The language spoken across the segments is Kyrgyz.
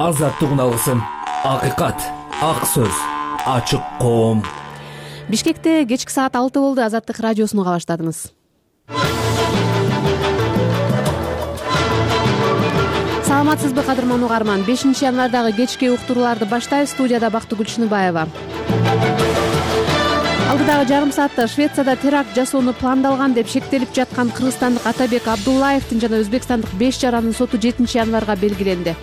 азаттык уналысын, акыйкат, ак сөз, ачык коом. Бишкекте кечки саат 6 болду. Азаттык радиосуну уга баштадыңыз. Саламатсызбы кадырман угарман? 5 январдагы кечки уктурууларды баштайбыз. Студияда Бактыгүл Чыныбаева. Алдыдагы жарым саатта Швецияда теракт жасоону пландалган деп шектелип жаткан кыргызстандык Атабек Абдуллаевдин жана өзбекстандык 5 жаранын соту 7 январга белгиленди.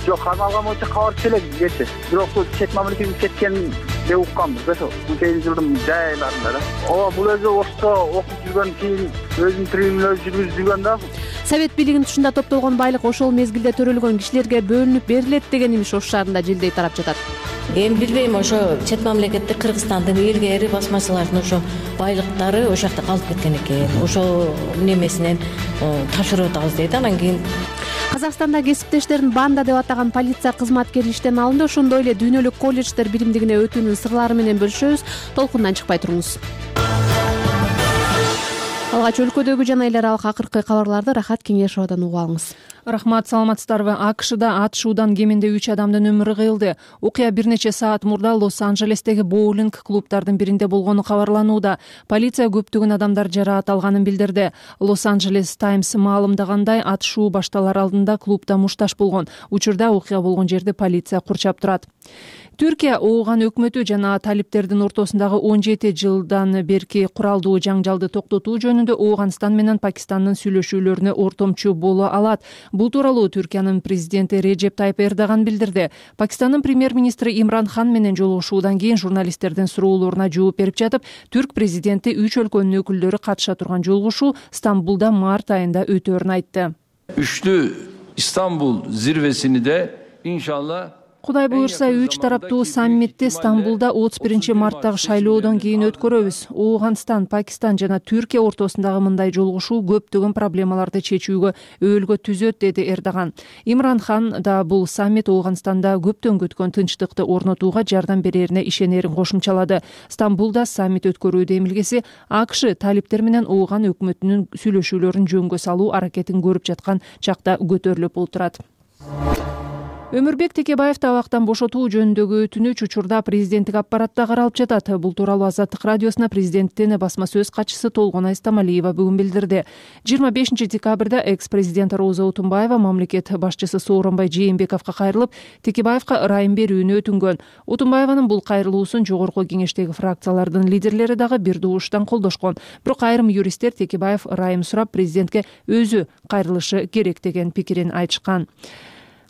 Жок, кармалган боюнча кабар келет кече. Бирок чет мамлекетке кеткен деп укканбыз да, ошо 18-жылдын жайларында да. Ооба, бул өзү Ошто окуп жүргөн кийин өзүнүн тирүүлүгүн өзү жүргүзүп жүргөн да. Совет бийлигинин тушунда топтолгон байлык ошол мезгилде төрөлгөн кишилерге бөлүнүп берилет деген имиш Ош шаарында жылдей тарап жатат. Эми билбейм, ошо чет мамлекетте Кыргызстандын илгери басмачылардын ошо байлыктары ошол жакта калып кеткен экен. Ошол немесинен тапшырып атабыз дейт. Анан кийин Казакстанда кесиптештерин банда деп атаган полиция кызматкери иштен алынды. Ошондой эле дүйнөлүк колледждер биримдигине өтүүнүн сырлары менен бөлүшөбүз. Толкундан чыкпай туруңуз. Алгач өлкөдөгү жана эл аралык акыркы кабарларды Рахат Кеңешовадан угуп алыңыз. Рахмат, саламатсыздарбы? АКШда атышуудан кеминде 3 адамдын өмүрү кыйылды. Окуя бир нече саат мурда Лос-Анджелестеги боулинг клубдардын биринде болгону кабарланууда. Полиция көптөгөн адамдар жараат алганын билдирди. Лос-Анджелес Таймс маалымдагандай, атышуу башталар алдында клубда мушташ болгон. Учурда окуя болгон жерди полиция курчап турат. Түркия Ооган өкмөтү жана талиптердин ортосундагы 17 жылдан берки куралдуу жаңжалды токтотуу жөнүндө Ооганстан менен Пакистандын сүйлөшүүлөрүнө ортомчу боло алат. Бул тууралуу Түркиянын президенти Режеп Тайып Эрдоган билдирди. Пакистандын премьер-министри Имран Хан менен жолугушуудан кийин журналисттердин суроолоруна жооп берип жатып, түрк президенти 3 өлкөнүн өкүлдөрү катыша турган жолугушуу Стамбулда март айында өтөөрүн айтты. Üçlü İstanbul zirvesini de inşallah Кудай буйрса, 3 тараптуу саммитти Стамбулда 31 марттагы шайлоодон кийин өткөрөбүз. Ооганстан, Пакистан жана Түркия ортосундагы мындай жолугушуу көптөгөн проблемаларды чечүүгө өөлгө түзөт, деди Эрдоган. Имран Хан да бул саммит Ооганстанда көптөн күткөн тынчтыкты орнотууга жардам берерине ишенерин кошумчалады. Стамбулда саммит өткөрүү демилгеси АКШ талиптер менен Ооган өкмөтүнүн сүйлөшүүлөрүн жөнгө салуу аракетин көрүп жаткан чакта көтөрүлүп отурат. Өмүрбек Текебаевди абактан бошотуу жөнүндөгү өтүнүч учурда президенттик аппаратта каралып жатат. Бул тууралуу Азаттык радиосуна президенттин басма сөз катчысы Толгонай Стамалиева бүгүн билдирди. 25 декабрда экс-президент Роза Отунбаева мамлекет башчысы Сооронбай Жээнбековго кайрылып, Текебаевга ырайым берүүнү өтүнгөн. Отунбаеванын бул кайрылуусун жогорку кеңештеги фракциялардын лидерлери дагы бир дууштан колдошкон. Бирок айрым юристтер Текебаев ырайым сурап президентке өзү кайрылышы керек деген пикирин айтышкан.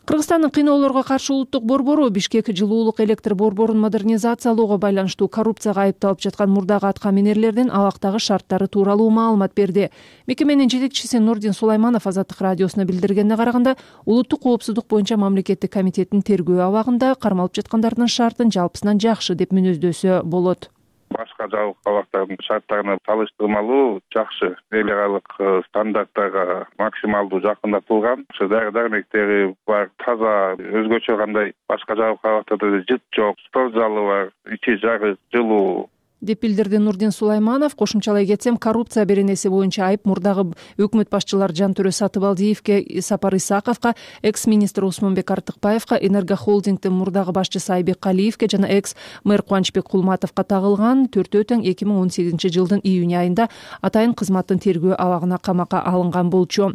Кыргызстандын кыйноолорго каршы улуттук борбору Бишкек жылуулук электр борборун модернизациялоого байланыштуу коррупцияга айыпталып жаткан мурдагы аткаминерлердин абактагы шарттары тууралуу маалымат берди. Мекеменин жетекчиси Нурдин Сулайманов Азаттык радиосуна билдиргенине караганда, улуттук коопсуздук боюнча мамлекеттик комитеттин тергөө абагында кармалып жаткандардын шартын жалпысынан жакшы деп мүнөздөсө болот. Башка жабык абактардын шарттарына салыштырмалуу жакшы, эл аралык стандарттарга максималдуу жакындатылган. Ошо дары-дармектери бар, таза, өзгөчө кандай башка жабык абактарда жыт жок, спорт залы бар, ичи жарык, жылуу деп билдирди Нурдин Сулайманов. Кошумчалай кетсем, коррупция беренеси боюнча айып мурдагы өкмөт башчылары Жантөрө Сатыбалдиевке, Сапар Исаковго, экс-министр Усмонбек Артыкбаевга, Энергохолдингдин мурдагы башчысы Айбек Калиевке жана экс-мэр Кубанычбек Кулматовго тагылган. Төртөө тең 2018 жылдын июнь айында атайын кызматтын тергөө абагына камакка алынган болчу.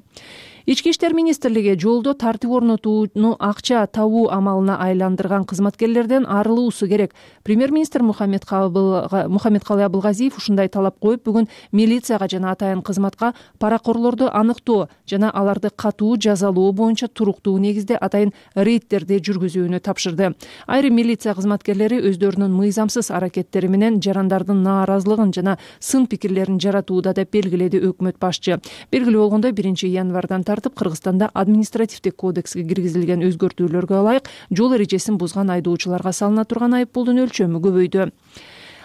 Ички иштер министрлиги жолдо тартип орнотууну акча табуу амалына айландырган кызматкерлерден арылуусу керек. Премьер-министр Мухаммедкалый Абылгазиев ушундай талап коюп, бүгүн милицияга жана атайын кызматка паракорлорду аныктоо жана аларды катуу жазалоо боюнча туруктуу негизде атайын рейдтерди жүргүзүүнү тапшырды. Айрым милиция кызматкерлери өздөрүнүн мыйзамсыз аракеттери менен жарандардын нааразылыгын жана сын пикирлерин жаратууда деп белгиледи өкмөт башчы. Белгилүү болгондой, 1 январдан тартып Кыргызстанда административдик кодекске киргизилген өзгөртүүлөргө ылайык жол эрежесин бузган айдоочуларга салына турган айыппулдун өлчөмү көбөйдү.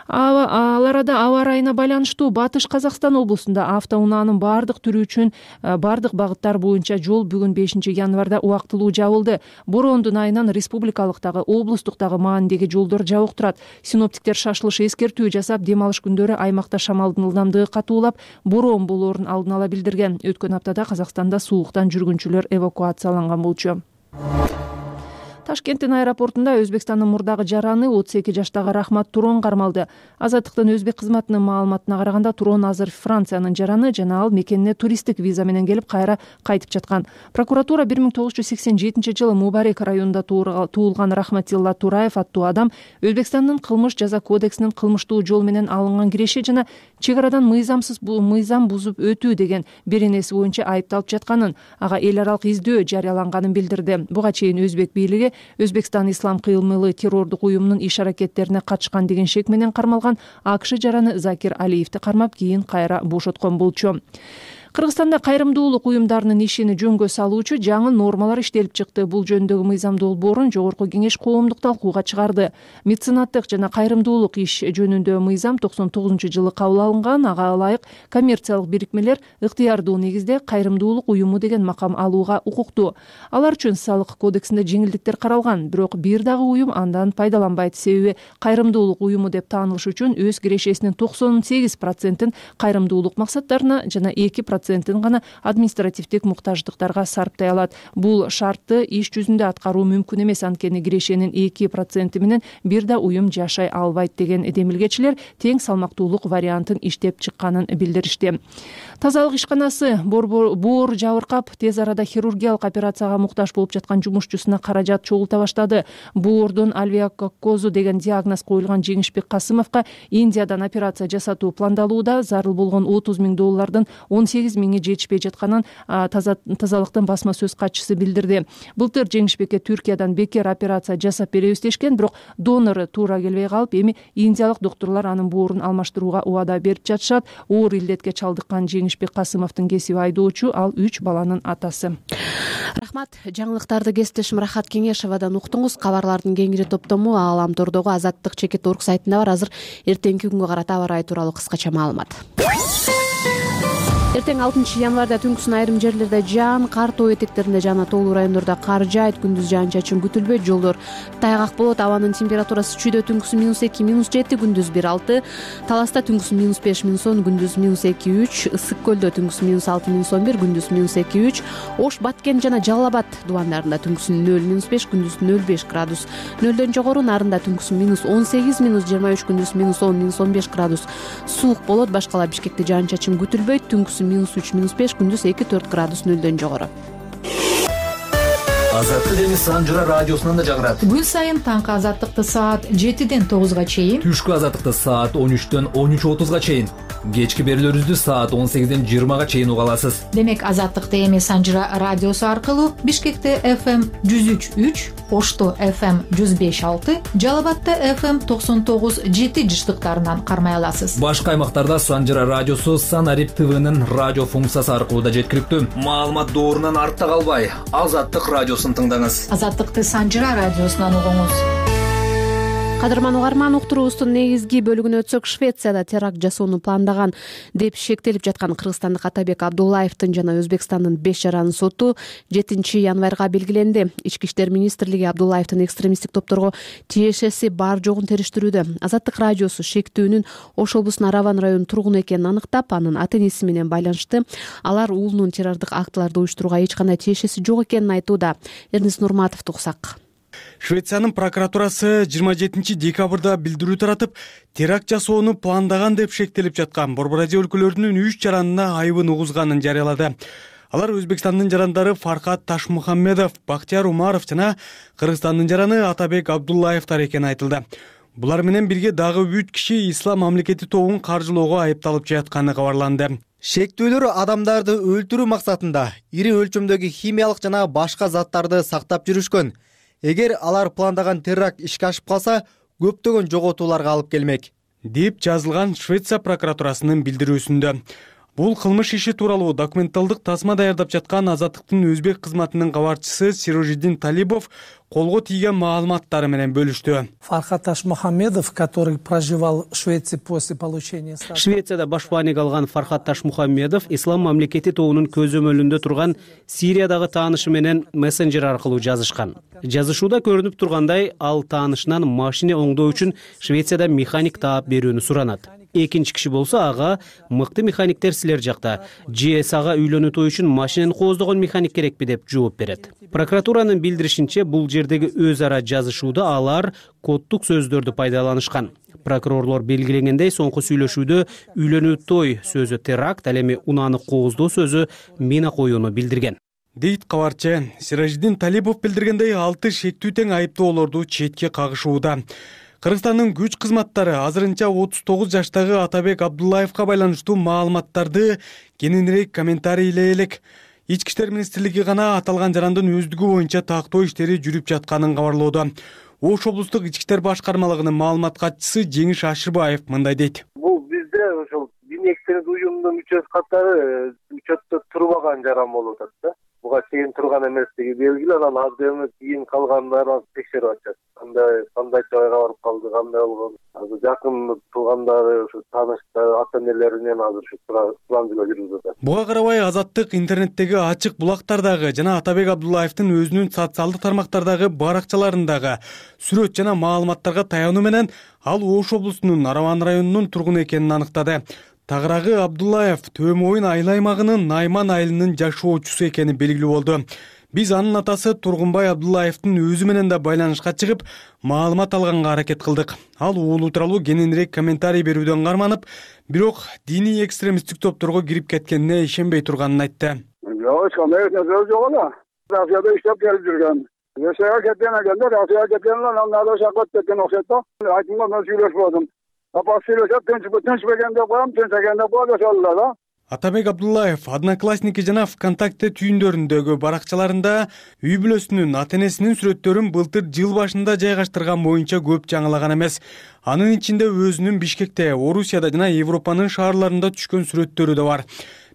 Ал арада аба ырайына байланыштуу Батыш Казакстан облусунда автоунаанын бардык түрү үчүн бардык багыттар боюнча жол бүгүн 5 январда убактылуу жабылды. Бороондун айынан республикалыктагы, облустуктагы маанидеги жолдор жабык турат. Синоптиктер шашылыш эскертүү жасап, дем алыш күндөрү аймакта шамалдын ылдамдыгы катуулап, бороон болоорун алдын ала билдирген. Өткөн аптада Казакстанда сууктан жүргүнчүлөр эвакуацияланган болчу. Ташкенттин аэропортунда Өзбекстандын мурдагы жараны 32 жаштагы Рахмат Турон кармалды. Азаттыктын өзбек кызматынын маалыматына караганда Турон азыр Франциянын жараны жана ал мекенине туристтик виза менен келип кайра кайтып жаткан. Прокуратура 1987-жылы Мубарек районунда туулган Рахматилла Тураев аттуу адам Өзбекстандын кылмыш жаза кодексинин кылмыштуу жол менен алынган киреше жана чек арадан мыйзам бузуп өтүү деген беренеси боюнча айыпталып жатканын, ага эл аралык издөө жарыяланганын билдирди. Буга чейин өзбек бийлиги Өзбекстан ислам кыймылы террордук уюмунун иш аракеттерине катышкан деген шек менен кармалган АКШ жараны Закир Алиевди кармап, кийин кайра бошоткон болчу. Кыргызстанда кайрымдуулук уюмдарынын ишин жөнгө салуучу жаңы нормалар иштелип чыкты. Бул жөнүндөгү мыйзам долбоорун Жогорку кеңеш коомдук талкууга чыгарды. Меценаттык жана кайрымдуулук иш жөнүндө мыйзам 99-жылы кабыл алынган. Ага ылайык коммерциялык бирикмелер ыктыярдуу негизде кайрымдуулук уюму деген макам алууга укуктуу. Алар үчүн салык кодексинде жеңилдиктер каралган, бирок бир дагы уюм андан пайдаланбайт. Себеби кайрымдуулук уюму деп таанылыш үчүн өз кирешесинин 98%-ин кайрымдуулук максаттарына жана 2% гана административдик муктаждыктарга сарптай алат. Бул шартты иш жүзүндө аткаруу мүмкүн эмес, анткени кирешенин 2% менен бир да уюм жашай албайт деген демилгечилер тең салмактуулук вариантын иштеп чыкканын билдиришти. Тазалык ишканасы боор жабыркап, тез арада хирургиялык операцияга муктаж болуп жаткан жумушчусуна каражат чогулта баштады. Боордун альвеококкозу деген диагноз коюлган Жеңишбек Касымовго Индиядан операция жасатуу пландалууда. Зарыл болгон $30 000 18 миңи жетишпей жатканын тазалыктын басма сөз катчысы билдирди. Былтыр Жеңишбекке Түркиядан бекер операция жасап беребиз дешкен, бирок донору туура келбей калып, эми индиялык доктурлар анын боорун алмаштырууга убада берип жатышат. Оор илдетке чалдыккан Жеңишбек Касымовдун кесиби айдоочу, ал 3 баланын атасы. Рахмат. Жаңылыктарды кесиптешим Рахат Кеңешевадан уктуңуз. Кабарлардын кеңири топтому Ааламтордогу Азаттык.org сайтында бар. Азыр эртеңки күнгө карата аба ырайы тууралуу кыскача маалымат. Эртең 6 январда түнкүсүн айрым жерлерде жаан, кар тоо этектеринде жана тоолуу райондордо кар жаайт, күндүз жаан-чачын күтүлбөйт, жолдор тайгак болот. Абанын температурасы чүйдө түнкүсүн -2, -7, күндүз 1-6, Таласта түнкүсүн -5, -10, күндүз -2-3, Ысык көлдө түнкүсүн -6, -11, күндүз -2-3, Ош, Баткен жана Жалал Абад дубандарында түнкүсүн 0-5, күндүз 0-5 градус, 0дөн жогору Нарында түнкүсүн -18, -23, күндүз -10, -15 градус суук болот. Башкала Бишкекте жаан-чачын күтүлбөйт, түнкүсүн -3, -5, күндүз 2-4 градус 0дөн жогору. Азаттык эми Санжыра радиосунан да жагырат. Күн сайын таңкы азаттыкты саат 7ден 9га чейин, Түшкү азаттыкты саат 13дөн 13:30га чейин, кечки берүүлөрүбүздү саат 18ден 20га чейин уга аласыз. Демек азаттыкты эми Санжыра радиосу аркылуу Бишкекте FM 103.3, Ошто FM 105.6, Жалал Абадта FM 99.7 жыштыктарынан кармай аласыз. Башка аймактарда Санжыра радиосу Санарип ТВнын радио функциясы аркылуу да жеткиликтүү. Маалымат доорунан артта калбай, Азаттык радиосун тыңдаңыз. Азаттыкты Санжыра радиосунан угуңуз. Кадырман угарман, уктуруубуздун негизги бөлүгүнө өтсөк, Швецияда теракт жасоону пландаган деп шектелип жаткан кыргызстандык Атабек Абдуллаевдин жана Өзбекстандын 5 жаранын соту 7 январга белгиленди. Ички иштер министрлиги Абдуллаевдин экстремисттик топторго тиешеси бар жогун териштирүүдө. Азаттык радиосу шектүүнүн Ош облусунун Араван районунун тургуну экенин аныктап, анын ата-энеси менен байланышты. Алар уулунун террордук актыларды уюштурууга эч кандай тиешеси жок экенин айтууда. Эрнис Нурматовду уксак. Швециянын прокуратурасы 27 декабрда билдирүү таратып, теракт жасоону пландаган деп шектелип жаткан Борбор-Азия өлкөлөрүнүн 3 жаранына айыбын угузганын жарыялады. Алар Өзбекстандын жарандары Фархат Ташмухаммедов, Бактияр Умаров жана Кыргызстандын жараны Атабек Абдуллаевдер экени айтылды. Булар менен бирге дагы 3 киши Ислам мамлекети тобун каржылоого айыпталып жатканы кабарланды. Шектүүлөр адамдарды өлтүрүү максатында ири өлчөмдөгү химиялык жана башка заттарды сактап жүрүшкөн. Эгер алар пландаган теракт ишке ашып калса, көптөгөн жоготууларга алып келмек, деп жазылган Швеция прокуратурасынын билдирүүсүндө. Бул кылмыш иши тууралуу документалдык тасма даярдап жаткан Азаттыктын өзбек кызматынын кабарчысы Сирожиддин Талибов колго тийген маалыматтары менен бөлүштү. Фархат Ташмухаммедов, который проживал в Швеции после получения статуса. Швецияда башбаник алган Фархат Ташмухаммедов Ислам мамлекети тобунун көзөмөлүндө турган Сириядагы таанышы менен мессенджер аркылуу жазышкан. Жазышууда көрүнүп тургандай, ал таанышынан машина оңдоо үчүн Швецияда механик таап берүүнү суранат. Экинчи киши болсо ага мыкты механиктер силер жакта, ЖС ага үйлөнүү той үчүн машинени кооздогон механик керекпи деп жооп берет. Прокуратуранын билдиришинче, бул жердеги өз ара жазышууда алар коддук сөздөрдү пайдаланышкан. Прокурорлор белгилегендей, соңку сүйлөшүүдө үйлөнүү той сөзү теракт, ал эми унааны кооздоо сөзү мина коюуну билдирген дейт кабарчы. Сиражиддин Талипов билдиргендей, 6 шектүү тең айыптоолорду четке кагышууда. Кыргызстандын күч кызматтары азырынча 39 жаштагы Атабек Абдуллаевка байланыштуу маалыматтарды кененирээк комментарийлей элек. Ички иштер министрлиги гана аталган жарандын өздүгү боюнча тактоо иштери жүрүп жатканын кабарлоодо. Ош облустук ички иштер башкармалыгынын маалымат катчысы Жеңиш Ашырбаев мындай дейт. Бул бизде ошол диний экстремист уюмунун мүчөсү катары учетто турбаган жаран болуп атат да. Буга чейин турган эместиги белгилүү, анан азыркы кийин калгандарын текшерип атышат. Кандай жайга барып калды, кандай болгон. Азыр жакын туугандары, ушу тааныштары, ата-энелеринен азыр ушу сурамжылоо жүрүп атат. Буга карабай Азаттык интернеттеги ачык булактардагы жана Атабек Абдуллаевдин өзүнүн социалдык тармактардагы баракчаларындагы сүрөт жана маалыматтарга таянуу менен ал Ош облусунун Араван районунун тургуну экенин аныктады. Тагыраагы Абдуллаев Төө Моюн айыл аймагынын Найман айылынын жашоочусу экени белгилүү болду. Биз анын атасы Тургунбай Абдуллаевдин өзү менен да байланышка чыгып, маалымат алганга аракет кылдык. Ал уулу тууралуу кененирээк комментарий берүүдөн карманып, бирок диний экстремисттик топторго кирип кеткенине ишенбей турганын айтты. Жок, кандай нерсе жок эле. Россияда иштеп келип жүргөн. Россияга кеткен экенде, Россияга кеткенден анан Алаша кеткен окшойт да. Айтымга мен сүйлөшпөдүм. Атабек Абдуллаев Одноклассники жана ВКонтакте түйүндөрүндөгү баракчаларында үй бүлөсүнүн ата-энесинин сүрөттөрүн былтыр жыл башында жайгаштырган боюнча көп жаңылаган эмес. Анын ичинде өзүнүн Бишкекте, Орусияда жана Европанын шаарларында түшкөн сүрөттөрү да бар.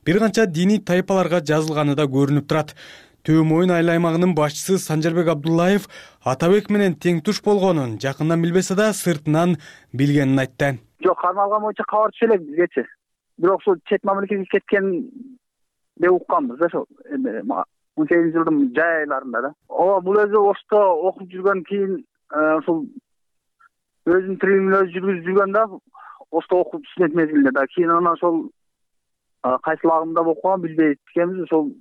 Бир канча диний тайпаларга жазылганы да көрүнүп турат. Төө Моюн айыл аймагынын башчысы Санжарбек Абдуллаев Атабек менен тең туш болгонун жакындан билбесе да сыртынан билгенин айтты. Жок, кармалган боюнча кабар түшө элек бизгечи. Бирок ушул чет мамлекетке кеткен деп укканбыз да ошол 18-жылдын жай айларында да. Ооба, бул өзү Ошто окуп жүргөн кийин ушул өзүнүн тирилигин өзү жүргүзүп жүргөн да, Ошто окуп студент мезгилинде да. Кийин анан ошол кайсыл агымда окуган билбейт экенбиз, ошол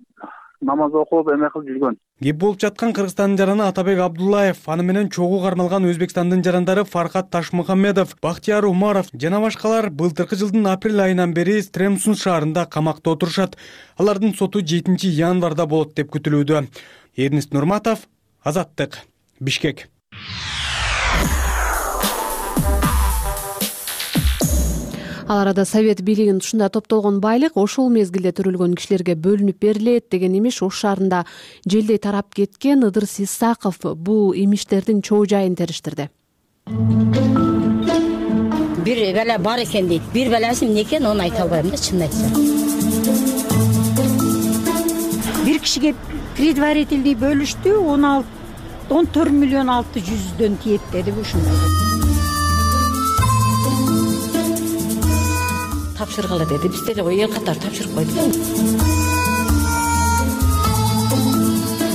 намаз окуп эме кылып жүргөн. Кеп болуп жаткан Кыргызстандын жараны Атабек Абдуллаев, аны менен чогуу кармалган Өзбекстандын жарандары Фархат Ташмухаммедов, Бактияр Умаров жана башкалар былтыркы жылдын апрель айынан бери Стремсун шаарында камакта отурушат. Алардын соту 7 январда болот деп күтүлүүдө. Эрнест Нурматов, Азаттык, Бишкек. Ал арада Совет бийлигинин тушунда топтолгон байлык ошол мезгилде төрөлгөн кишилерге бөлүнүп берилет деген имиш Ош шаарында желдей тарап кеткен. Ыдырыс Исаков бул имиштердин чоо жайын териштирди. Бир бала бар экен дейт. Бир баласы эмне экен, аны айта албайм да, чынын айтсам. Бир кишиге предварительный бөлүштү, 14 миллион 600 тиет деди ушундай. Тапшыргыла деди. Биз деле эл катары тапшырып койдук.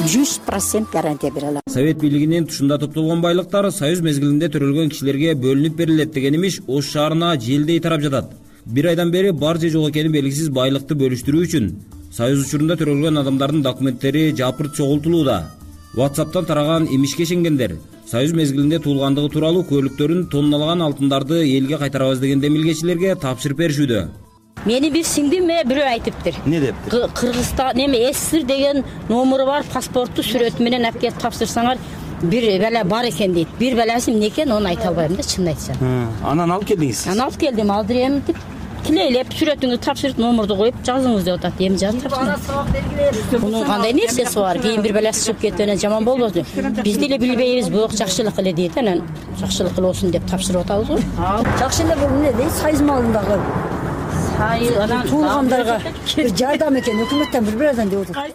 100% гарантия бере алам. Совет бийлигинин тушунда топтолгон байлыктар союз мезгилинде төрөлгөн кишилерге бөлүнүп берилет деген имиш Ош шаарына желдей тарап жатат. Бир айдан бери бар же жок экени белгисиз байлыкты бөлүштүрүү үчүн союз учурунда төрөлгөн адамдардын документтери жапырт чогултулууда. WhatsApp'тан тараган имишке ишенгендер союз мезгилинде туулгандыгы тууралуу көлүктөрүн тонналаган алтындарды элге кайтарабыз деген демилгечилерге тапшырып беришүүдө. Мени бир сиңдим бирөө айтыптыр. Не дептир? Кыргызстан СССР деген номуру бар, паспортту сүрөтү менен алып келип тапшырсаңар, бир бала бар экен дейт. Бир баласы эмне экен, аны айта албайм да, чынын айтсам. Анан алып келдиңиз? Анан алып келдим, алдырем деп тилейлеп сүрөтүңүздү тапшырып, номурду коюп жазыңыз деп атат. Эми жазып тапшырдым. Мунун кандай нерсеси бар? Кийин бир баласы чыгып кеткенде жаман болбосун. Биз деле билбейбиз, бирок жакшылык эле дейт. Анан жакшылык болсун деп тапшырып атабыз го. Жакшы эле бул эмне дейт? Союз малындагы туулгандарга жардам экен, өкмөттөн бир адам деп атат.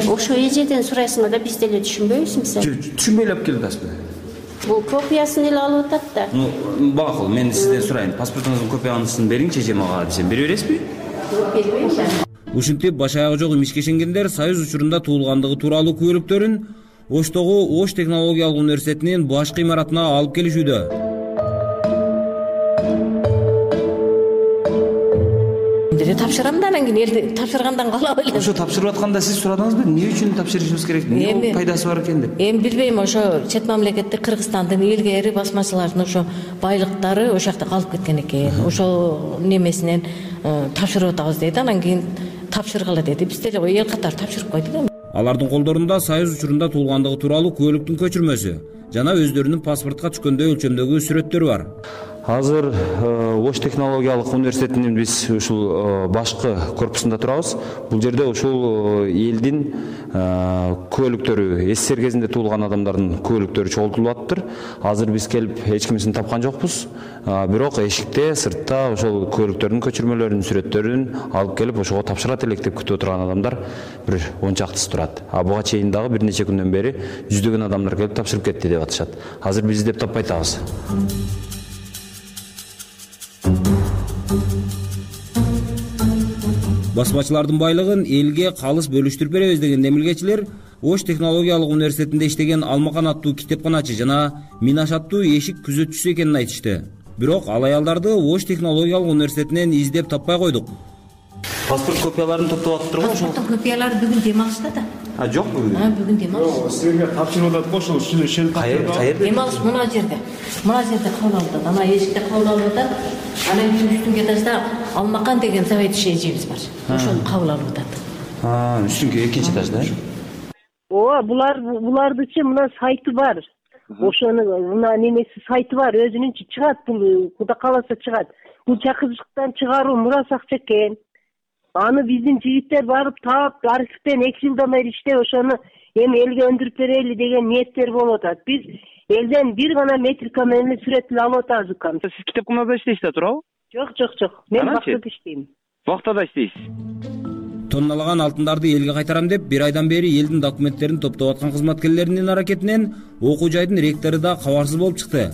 Ошо эжеден сурайсыңар да, биз деле түшүнбөйбүз мисалы. Түшүнбөй эле алып келип атасызбы? Бул копиясын эле алып атат да. Багакыл, мен сизден сурайын. Паспортуңуздун копиясын бериңчи эже мага десем, бере бересизби? Бербейм. Ушинтип баш аягы жок имишке ишенгендер союз учурунда туулгандыгы тууралуу күбөлүктөрүн Оштогу Ош технологиялык университетинин башкы имаратына алып келишүүдө. тапшырам да анан кийин элди тапшыргандан калап элем. Ошо тапшырып атканда сиз сурадыңызбы, эмне үчүн тапшырышыбыз керек, эмне пайдасы бар экен деп? Эми билбейм, ошо чет мамлекетте Кыргызстандын илгери басмачылардын ошо байлыктары ошол жакта калып кеткен экен. Ошол немесинен тапшырып атабыз деди, анан кийин тапшыргыла деди. Биз деле эл катары тапшырып койдук. Алардын колдорунда Союз учурунда туулгандыгы тууралуу куәликтин көчүрмөсү жана өздөрүнүн паспортко түшкөндөй өлчөмдөгү сүрөттөрү бар. Азыр Ош технологиялык университетинин биз ушул башкы корпусунда турабыз. Бул жерде ушул элдин куәликтөрү, СССР кезинде туулган адамдардын куәликтөрү чогултулуп атыптыр. Азыр биз келип эч кимисин тапкан жокпуз. Бирок эшикте, сыртта ошол куәликтердин көчүрмөлөрүн, сүрөттөрүн алып келип ошого тапшырат элек деп күтүп отурган адамдар бир 10 чактысы турат. Буга чейин дагы бир нече күндөн бери жүздөгөн адамдар келип тапшырып кетти деп атышат. Азыр биз издеп таппай атабыз. Басмачылардын байлыгын элге калыс бөлүштүрүп беребиз деген демилгечилер Ош технологиялык университетинде иштеген Алмакан аттуу китепканачы жана Минаш аттуу эшик күзөтчүсү экенин айтышты. Бирок ал аялдарды Ош технологиялык университетинен издеп таппай койдук. Паспорт копияларын топтоп атыптыр го ошол. Паспорттун копиялары бүгүн дем алышта да. Жок бүгүн. Бүгүн дем алыш. Силерге тапшырып атат го ошол Кайер? Дем алыш мына жерде. Мына жерде кабыл алып атат. Ана эшикте кабыл алып атат. Анан үстүнкү этажда Алмакан деген заведующийибиз бар. Ошону кабыл алып атат. Үстүнкү экинчи этажда. Ооба, булардычы мына сайты бар. Ошону мына немеси сайты бар, өзүнүнчө чыгат, бул куда каласа чыгат. Бул чакырыштан чыгаруу мурас акча экен. Аны биздин жигиттер барып таап, архивден 2 жылдан бери иштеп, ошону эми элге өндүрүп берели деген ниеттер болуп атат. Биз элден бир гана метрика менен сүрөт эле алып атабыз укам. Сиз китепканада иштейсиз да, туурабы? Жок. Мен бактада иштейм. Бактада иштейсиз. Тонналаган алтындарды элге кайтарам деп бир айдан бери элдин документтерин топтоп аткан кызматкерлеринин аракетинен окуу жайдын ректору да кабарсыз болуп чыкты.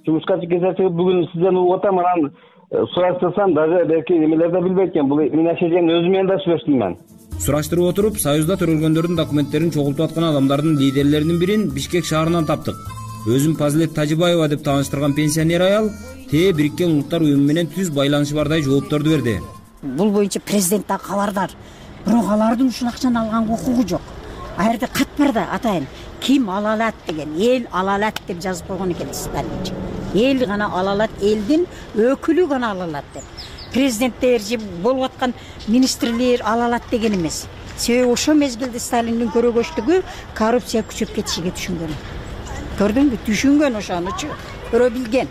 Жумушка чыккан бүгүн сизден угуп атам, анан сураштырсам дагы белки эмелер да билбейт экен. Бул Минаш эженин өзү менен да сүйлөштүм мен. Сураштырып отуруп, Союзда төрөлгөндөрдүн документтерин чогултуп аткан адамдардын лидерлеринин бирин Бишкек шаарынан таптык. Өзүн Пазилет Тажибаева деп тааныштырган пенсионер аял Бириккен Улуттар уюму менен түз байланышы бардай жоопторду берди. Бул боюнча президент да кабардар. Бирок алардын ушул акчаны алганга укугу жок. А жерде кат бар да атайын. Ким ала алат деген, эл ала алат деп жазып койгон экен Сталинчи. Эл гана ала алат, элдин өкүлү гана ала алат деп. Президенттер же болуп аткан министрлер ала алат деген эмес. Себеби ошол мезгилде Сталиндин көрөгөчтүгү коррупция күчөп кетишиге түшүнгөн. Көрдүңбү? Түшүнгөн ошонучу, көрө билген.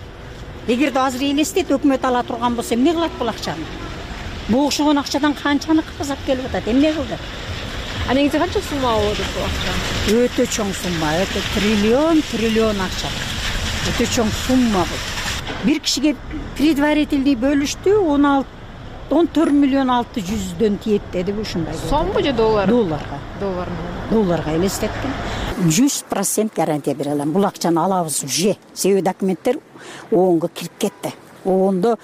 Эгерде азыр элестет өкмөт ала турган болсо эмне кылат бул акчаны? Бул ошогон акчадан канчаны казап келип атат, эмне кылды? А негизи канча сумма болот бул акча? Өтө чоң сумма, өтө триллион акча. Өтө чоң сумма бул. Бир кишиге предварительный бөлүштү, 14 миллион 600 тиет деди ушундай. Сомбу же доллар? Долларга. Долларга элестеттим. 100% гарантия бере алам. Бул акчаны алабыз уже. Себеби документтер оонго кирип кетти. Оондо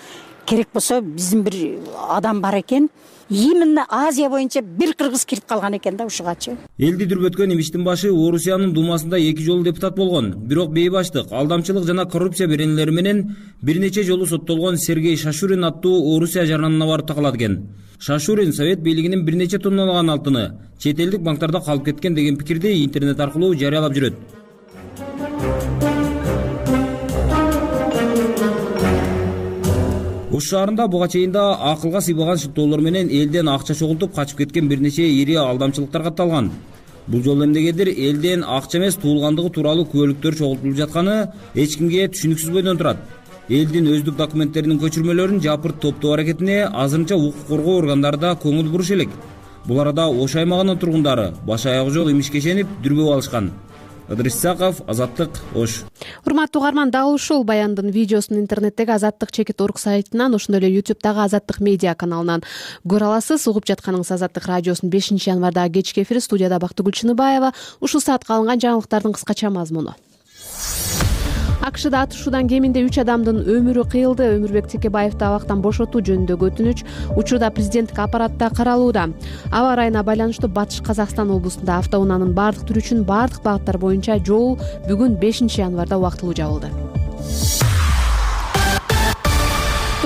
керек болсо биздин бир адам бар экен. Именно Азия боюнча бир кыргыз кирип калган экен да ушугачы. Элди дүрбөткөн Имиштин башы Орусиянын думасында 2 жолу депутат болгон. Бирок бейбаштык, алдамчылык жана коррупция беренелери менен бир нече жолу соттолгон Сергей Шашурин аттуу Орусия жаранына барып такалат экен. Шашурин Совет бийлигинин бир нече тонналаган алтыны чет элдик банктарда калып кеткен деген пикирди интернет аркылуу жарыялап жүрөт. Ош шаарында буга чейин да акылга сыйбаган шыктоолор менен элден акча чогултуп качып кеткен бир нече ири алдамчылыктар катталган. Бул жолу эмнегедир элден акча эмес туулгандыгы тууралуу күбөлүктөр чогултулуп жатканы эч кимге түшүнүксүз бойдон турат. Элдин өздүк документтеринин көчүрмөлөрүн жапырт топтоо аракетине азырынча укук коргоо органдары да көңүл буруш элек. Бул арада Ош аймагынын тургундары баш аягы жок имишкешенип дүрбөп алышкан. Ыдырыс Исаков, Азаттык, Ош. Урматтуу угарман, дал ушул баяндын видеосун интернеттеги Азаттык.org сайтынан, ошондой эле YouTube'дагы Азаттык медиа каналынан көрө аласыз. Угуп жатканыңыз Азаттык радиосунун 5-январдагы кечки эфири. Студияда Бактыгүл Чыныбаева. Ушул саатка алынган жаңылыктардын кыскача мазмуну. АКШда атышуудан кеминде 3 адамдын өмүрү кыйылды. Өмүрбек Текебаевди абактан бошотуу жөнүндөгү өтүнүч учурда президенттик аппаратта каралууда. Аба ырайына байланыштуу Батыш Казакстан облусунда автоунаанын бардык түрү үчүн бардык багыттар боюнча жол бүгүн 5 январда убактылуу жабылды.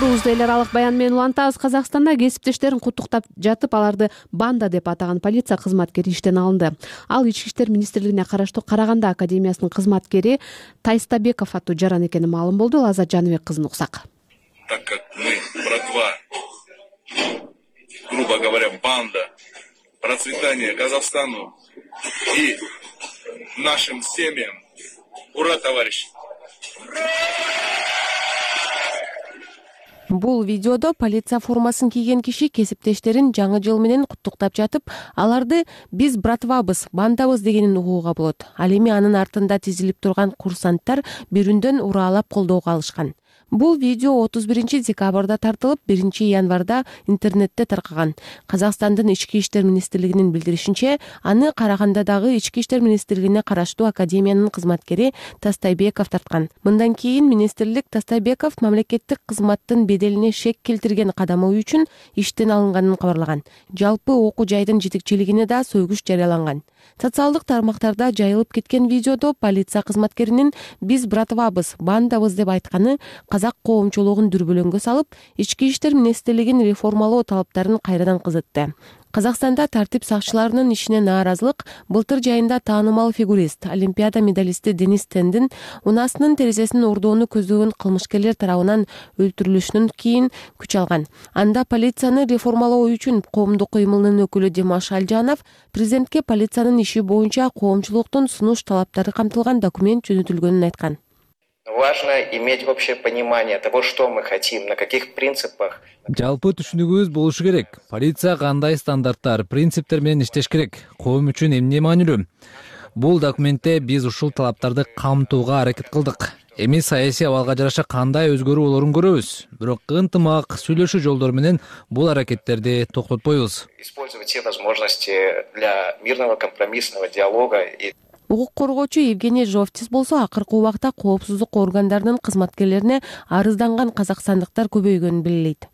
уктуруубузду эл аралык баян менен улантабыз. Казакстанда кесиптештерин куттуктап жатып, аларды банда деп атаган полиция кызматкери иштен алынды. Ал Ички иштер министрлигине караштуу Караганда академиясынын кызматкери Тайстабеков аттуу жаран экени маалым болду. Лаззат Жаныбек кызын уксак. Так как мы, братва, грубо говоря, банда, процветания Казахстану и нашим семьям. Ура, товарищи! Бул видеодо полиция формасын кийген киши кесиптештерин жаңы жыл менен куттуктап жатып, аларды биз братвабыз, бандабыз дегенин угууга болот. Ал эми анын артында тизилип турган курсанттар бирүндөн ураалап колдоого алышкан. Бул видео 31-декабрда тартылып, 1-январда интернетте таркаган. Казакстандын Ички иштер министрлигинин билдиришинче, аны Карагандадагы Ички иштер министрлигине караштуу академиянын кызматкери Тастайбеков тарткан. Мындан кийин министрлик Тастайбеков мамлекеттик кызматтын беделине шек келтирген кадамы үчүн иштен алынганын кабарлаган. Жалпы окуу жайдын жетекчилигине да сөгүш жарыяланган. Социалдык тармактарда жайылып кеткен видеодо полиция кызматкеринин биз братвабыз, бандабыз деп айтканы казак коомчулугун дүрбөлөңгө салып, Ички иштер министрлигин реформалоо талаптарын кайрадан кызытты. Казакстанда тартип сакчыларынын ишине нааразылык былтыр жайында таанымал фигурист, олимпиада медалисти Денис Тендин унаасынын терезесин ордоону көздөгөн кылмышкерлер тарабынан өлтүрүлүшүнөн кийин күч алган. Анда полицияны реформалоо үчүн коомдук кыймылынын өкүлү Димаш Алжанов президентке полициянын иши боюнча коомчулуктун сунуш талаптары камтылган документ жөнөтүлгөнүн айткан. Важно иметь общее понимание того, что мы хотим, на каких принципах. Жалпы түшүнүгүбүз болушу керек. Полиция кандай стандарттар, принциптер менен иштеш керек. Коом үчүн эмне маанилүү? Бул документте биз ушул талаптарды камтууга аракет кылдык. Эми саясий абалга жараша кандай өзгөрүү болорун көрөбүз. Бирок ынтымак, сүйлөшүү жолдору менен бул аракеттерди токтотпойбуз. Использовать все возможности для мирного компромиссного диалога. Укук коргоочу Евгений Жовтис болсо акыркы убакта коопсуздук органдарынын кызматкерлерине арызданган казакстандыктар көбөйгөнүн белгилейт.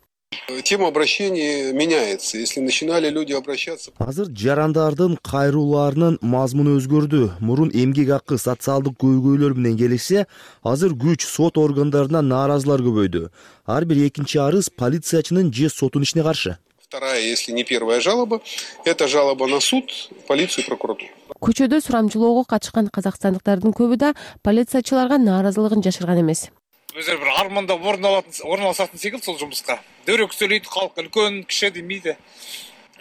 Тема обращений меняется. Если начинали люди обращаться... Азыр жарандардын кайрууларынын мазмуну өзгөрдү. Мурун эмгек акы, социалдык көйгөйлөр менен келишсе, азыр күч сот органдарына нааразылар көбөйдү. Ар бир экинчи арыз полициячынын же соттун ишине каршы. Вторая, если не первая жалоба, это жалоба на суд, полицию и прокуратуру. Көчөдө сурамчылоого катышкан казакстандыктардын көбү да полициячыларга нааразылыгын жашырган эмес. Өздөрү бир армандап орун алышатын секилди сол жумуска. Дөөрөк сөйлөйт, калк үлкөн киши демейди.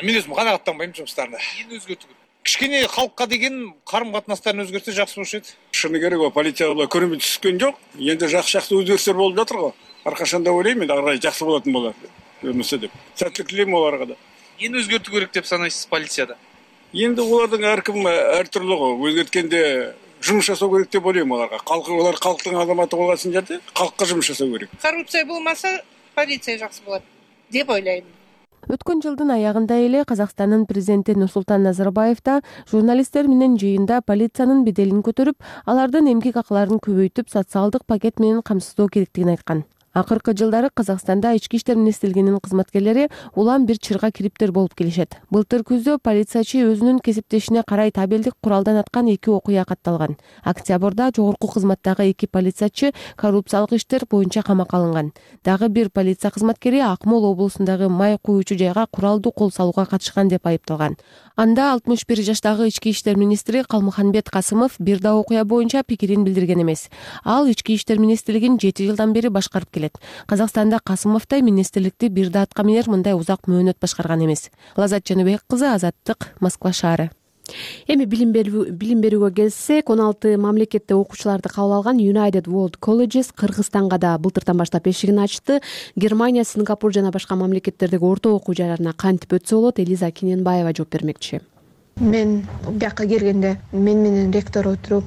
Мен өзүм канааттанбайм жумуштарына. Эми өзгөртүү керек. Кичкене калкка деген карым катнастарын өзгөртсө жакшы болуш эди. Шыны керек, полиция көрүнүп түшкөн жок. Энди жакшы өзгөрүштөр болуп жатыр го. Аркашан да ойлойм, ары карай жакшы болотун болот. Көрүнүшсө деп. Сәттилик тилейм аларга да. Эми өзгөртүү керек деп санайсыз полицияда? Енді олардың әркім әртүрлі ғой. Өзгерткенде жұмыс жасау керек деп ойлаймын оларға. Олар халықтың азаматы болған жерде халыққа жұмыс жасау керек. Коррупция болмаса, полиция жақсы болады деп ойлаймын. Өткөн жылдын аягында эле Казакстандын президенти Нурсултан Назарбаев да журналисттер менен жыйында полициянын беделин көтөрүп, алардын эмгек акыларын көбөйтүп, социалдык пакет менен камсыздоо керектигин айткан. Акыркы жылдары Казакстанда Ички иштер министрлигинин кызматкерлери улам бир чырга кириптер болуп келишет. Былтыр күздө полициячы өзүнүн кесиптешине карай табелдик куралдан аткан 2 окуя катталган. Октябрда жогорку кызматтагы 2 полициячы коррупциялык иштер боюнча камакка алынган. Дагы бир полиция кызматкери Акмола облусундагы май куючу жайга куралдуу кол салууга катышкан деп айыпталган. Анда 61 жаштагы Ички иштер министри Калмыканбет Касымов бир да окуя боюнча пикирин билдирген эмес. Ал Ички иштер министрлигин 7 жылдан бери башкарып келет. Казакстанда Касымовтой министрликти бир да атка минер мындай узак мөөнөт башкарган эмес. Лаззат Жаныбек кызы, Азаттык, Москва шаары. Эми билим берүүгө келсек, 16 мамлекетте окуучуларды кабыл алган United World Colleges Кыргызстанга да былтырдан баштап эшигин ачты. Германия, Сингапур жана башка мамлекеттердеги орто окуу жайларына кантип өтсө болот? Элиза Кененбаева жооп бермекчи. Мен бияка келгенде мен менен ректор отуруп,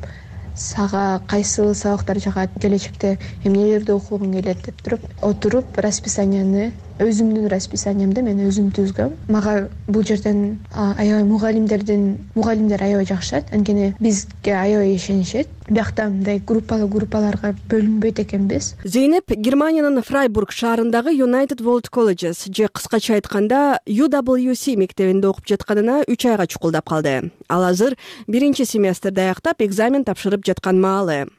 сага кайсы сабактар жагат, келечекте эмнелерди окугуң келет деп отуруп расписанияны өзүмдүн расписаниямды мен өзүм түзгөм. Мага бул жерден аябай мугалимдер аябай жакшат, анткени бизге аябай ишенишет. Биякта мындай группаларга бөлүнбөйт экенбиз. Зейнеп Германиянын Фрайбург шаарындагы United World Colleges же кыскача айтканда UWC мектебинде окуп жатканына 3 айга чукулдап калды. Ал азыр 1-семестрди аяктап экзамен тапшырып жаткан маалы.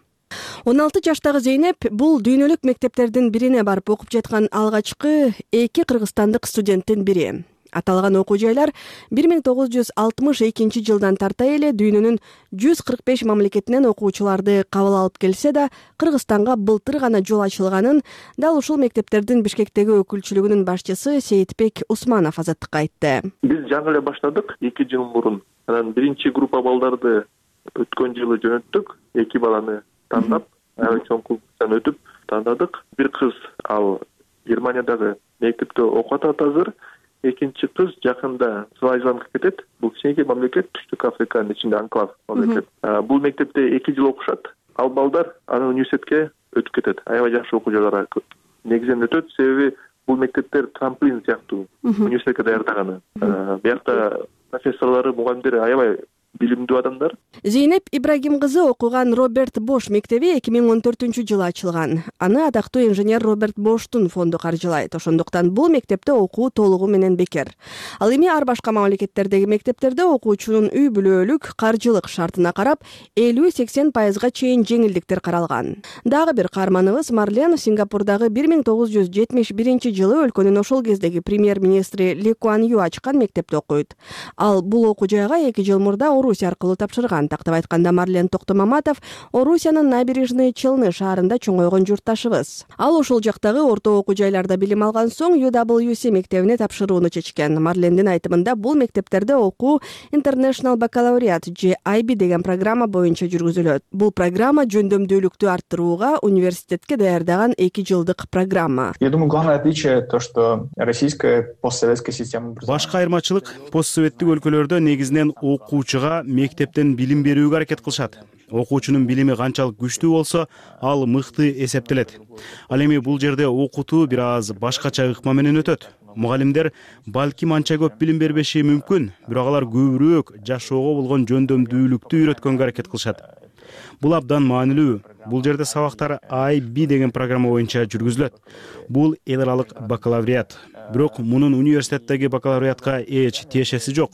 16 жаштагы Зейнеп бул дүйнөлүк мектептердин бирине барып окуп жаткан алгачкы 2 кыргызстандык студенттин бири. Аталган окуу жайлар 1962 жылдан тарта эле дүйнөнүн 145 мамлекетинен окуучуларды кабыл алып келсе да, Кыргызстанга былтыр гана жол ачылганын дал ушул мектептердин Бишкектеги өкүлчүлүгүнүн башчысы Сейитбек Усманов Азаттыкка айтты. Биз жаңы эле баштадык 2 жыл мурун. Анан биринчи группа балдарды өткөн жылы жөнөттүк. 2 баланы тандап, аябай чоң конкурстан өтүп тандадык. Бир кыз ал Германиядагы мектепте окуп атат азыр. Экинчи кыз жакында Свазиландка кетет. Бул кичинекей мамлекет, Түштүк Африканын ичинде анклав мамлекет. Бул мектепте 2 жыл окушат. Ал балдар аны университетке өтүп кетет. Аябай жакшы окуу жайларга негизинен өтөт, себеби бул мектептер трамплин сыяктуу университетке даярдаганы. Биякта профессорлору, мугалимдери аябай билимдүү адамдар. Зейнеп Ибрагим кызы окуган Роберт Бош мектеби 2014-жылы ачылган. Аны атактуу инженер Роберт Боштун фонду каржылайт. Ошондуктан бул мектепте окуу толугу менен бекер. Ал эми ар башка мамлекеттердеги мектептерде окуучунун үй бүлөлүк каржылык шартына карап 50-80% чейин жеңилдиктер каралган. Дагы бир каарманыбыз Марлен Сингапурдагы 1971-жылы өлкөнүн ошол кездеги премьер-министри Ли Куан Ю ачкан мектепте окуйт. Ал бул окуу жайга 2 жыл мурда Орусия аркылуу тапшырган. Тактап айтканда Марлен Токтомаматов Орусиянын Набережный Челны шаарында чоңойгон журтташыбыз. Ал ошол жактагы орто окуу жайларда билим алган соң UWC мектебине тапшырууну чечкен. Марлендин айтымында бул мектептерде окуу International Baccalaureate же IB деген программа боюнча жүргүзүлөт. Бул программа жөндөмдүүлүктү арттырууга университетке даярдаган 2 жылдык программа. Я думаю, главное отличие то, что российская постсоветская система. Башка айырмачылык постсоветтик өлкөлөрдө негизинен окуучуга мектептен билим берүүгө аракет кылышат. Окуучунун билими канчалык күчтүү болсо, ал мыкты эсептелет. Ал эми бул жерде окутуу бир аз башкача ыкма менен өтөт. Мугалимдер балким анча көп билим бербеши мүмкүн, бирок алар көбүрөөк жашоого болгон жөндөмдүүлүктү үйрөткөнгө аракет кылышат. Бул абдан маанилүү. Бул жерде сабактар IB деген программа боюнча жүргүзүлөт. Бул эл аралык бакалавриат. Бирок мунун университеттеги бакалавриатка эч тиешеси жок.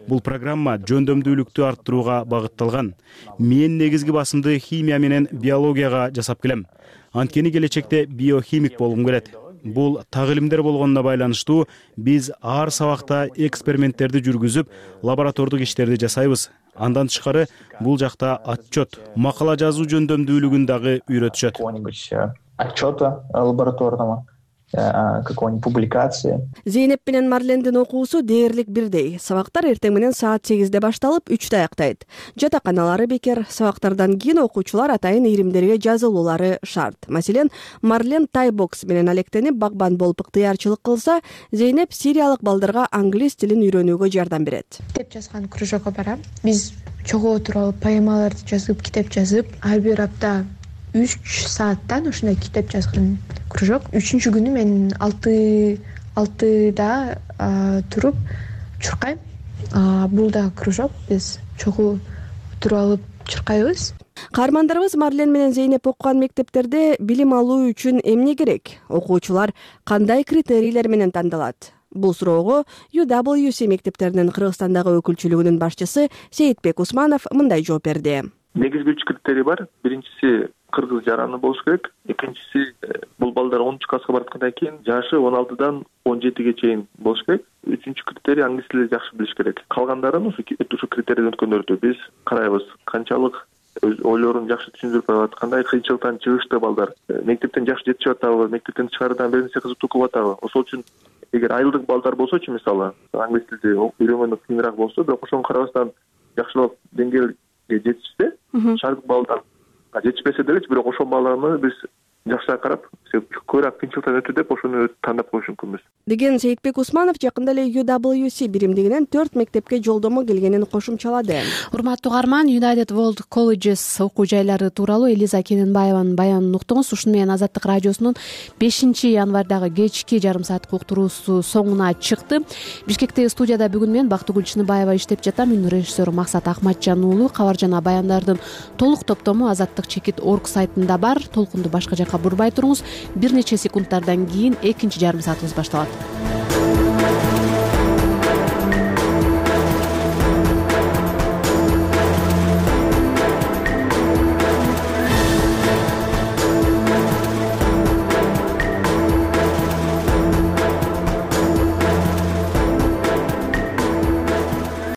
Бул программа жөндөмдүүлүктү арттырууга багытталган. Мен негизги басымды химия менен биологияга жасап келем. Анткени келечекте биохимик болгум келет. Бул так илимдер болгонуна байланыштуу биз ар сабакта эксперименттерди жүргүзүп, лаборатордук иштерди жасайбыз. Андан тышкары бул жакта отчет, макала жазуу жөндөмдүүлүгүн дагы үйрөтүшөт. Отчета лабораторного, какой-нибудь публикации. Зейнеп менен Марлендин окуусу дээрлик бирдей. Сабактар эртең менен саат 8-де башталып, 3-тө аяктайт. Жатаканалары бекер, сабактардан кийин окуучулар атайын иримдерге жазылуулары шарт. Маселен, Марлен тайбокс менен алектенип багбан болуп ыктыярчылык кылса, Зейнеп сириялык балдарга англис тилин үйрөнүүгө жардам берет. Китеп жазган кружокко барам. Биз чогуу отуруп, поэмаларды жазып, китеп жазып, ар бир апта 3 сааттан ушундай китеп жазган кружок. 3-күнү мен 6-да туруп чуркайм. Бул да кружок, биз чогуу туруп алып чуркайбыз. Каармандарыбыз Марлен менен Зейнеп окуган мектептерде билим алуу үчүн эмне керек? Окуучулар кандай критерийлер менен тандалат? Бул суроого UWC мектептеринин Кыргызстандагы өкүлчүлүгүнүн башчысы Сейитбек Усманов мындай жооп берди. Негизги 3 критерий бар. Биринчиси кыргыз жараны болуш керек. Экинчиси бул балдар 10 класска бараткандан кийин жашы 16дан 17ге чейин болуш керек. Үчүнчү критерий англис тилин жакшы билиш керек. Калгандарын ушу критерийден өткөндөрдү биз карайбыз. Канчалык өз ойлорун жакшы түшүндүрүп алат, кандай кыйынчылыктан чыгышты балдар, мектептен жакшы жетишип атабы, мектептен тышкарыдан бир нерсе кызыктуу кылып атабы. Ошол үчүн эгер айылдык балдар болсочу, мисалы, англис тилди үйрөнгөнү кыйыныраак болсо, бирок ошого карабастан жакшылап деңгээлге жетишсе, шаардык балдар жетишпесе делечи, бирок ошол баланы биз жакшыраак карап, көбүрөөк кыйынчылыктан өтү деп ошону тандап коюш мүмкүнбүз деген Сейитбек Усманов жакында эле UWC биримдигинен 4 мектепке жолдомо келгенин кошумчалады. Урматтуу каарман, United World Colleges окуу жайлары тууралуу Элиза Кененбаеванын баянын уктуңуз. Ушуну менен Азаттык радиосунун 5-январдагы кечки жарым сааттык уктуруусу соңуна чыкты. Бишкектеги студияда бүгүн мен Бактыгүл Чыныбаева иштеп жатам. Үн режиссеру Максат Акматжан уулу. Кабар жана баяндардын толук топтому azattik.org сайтында бар. Толкунду башка жака бурбай туруңуз. Бир нече секундтардан кийин экинчи жарым саатыбыз башталат.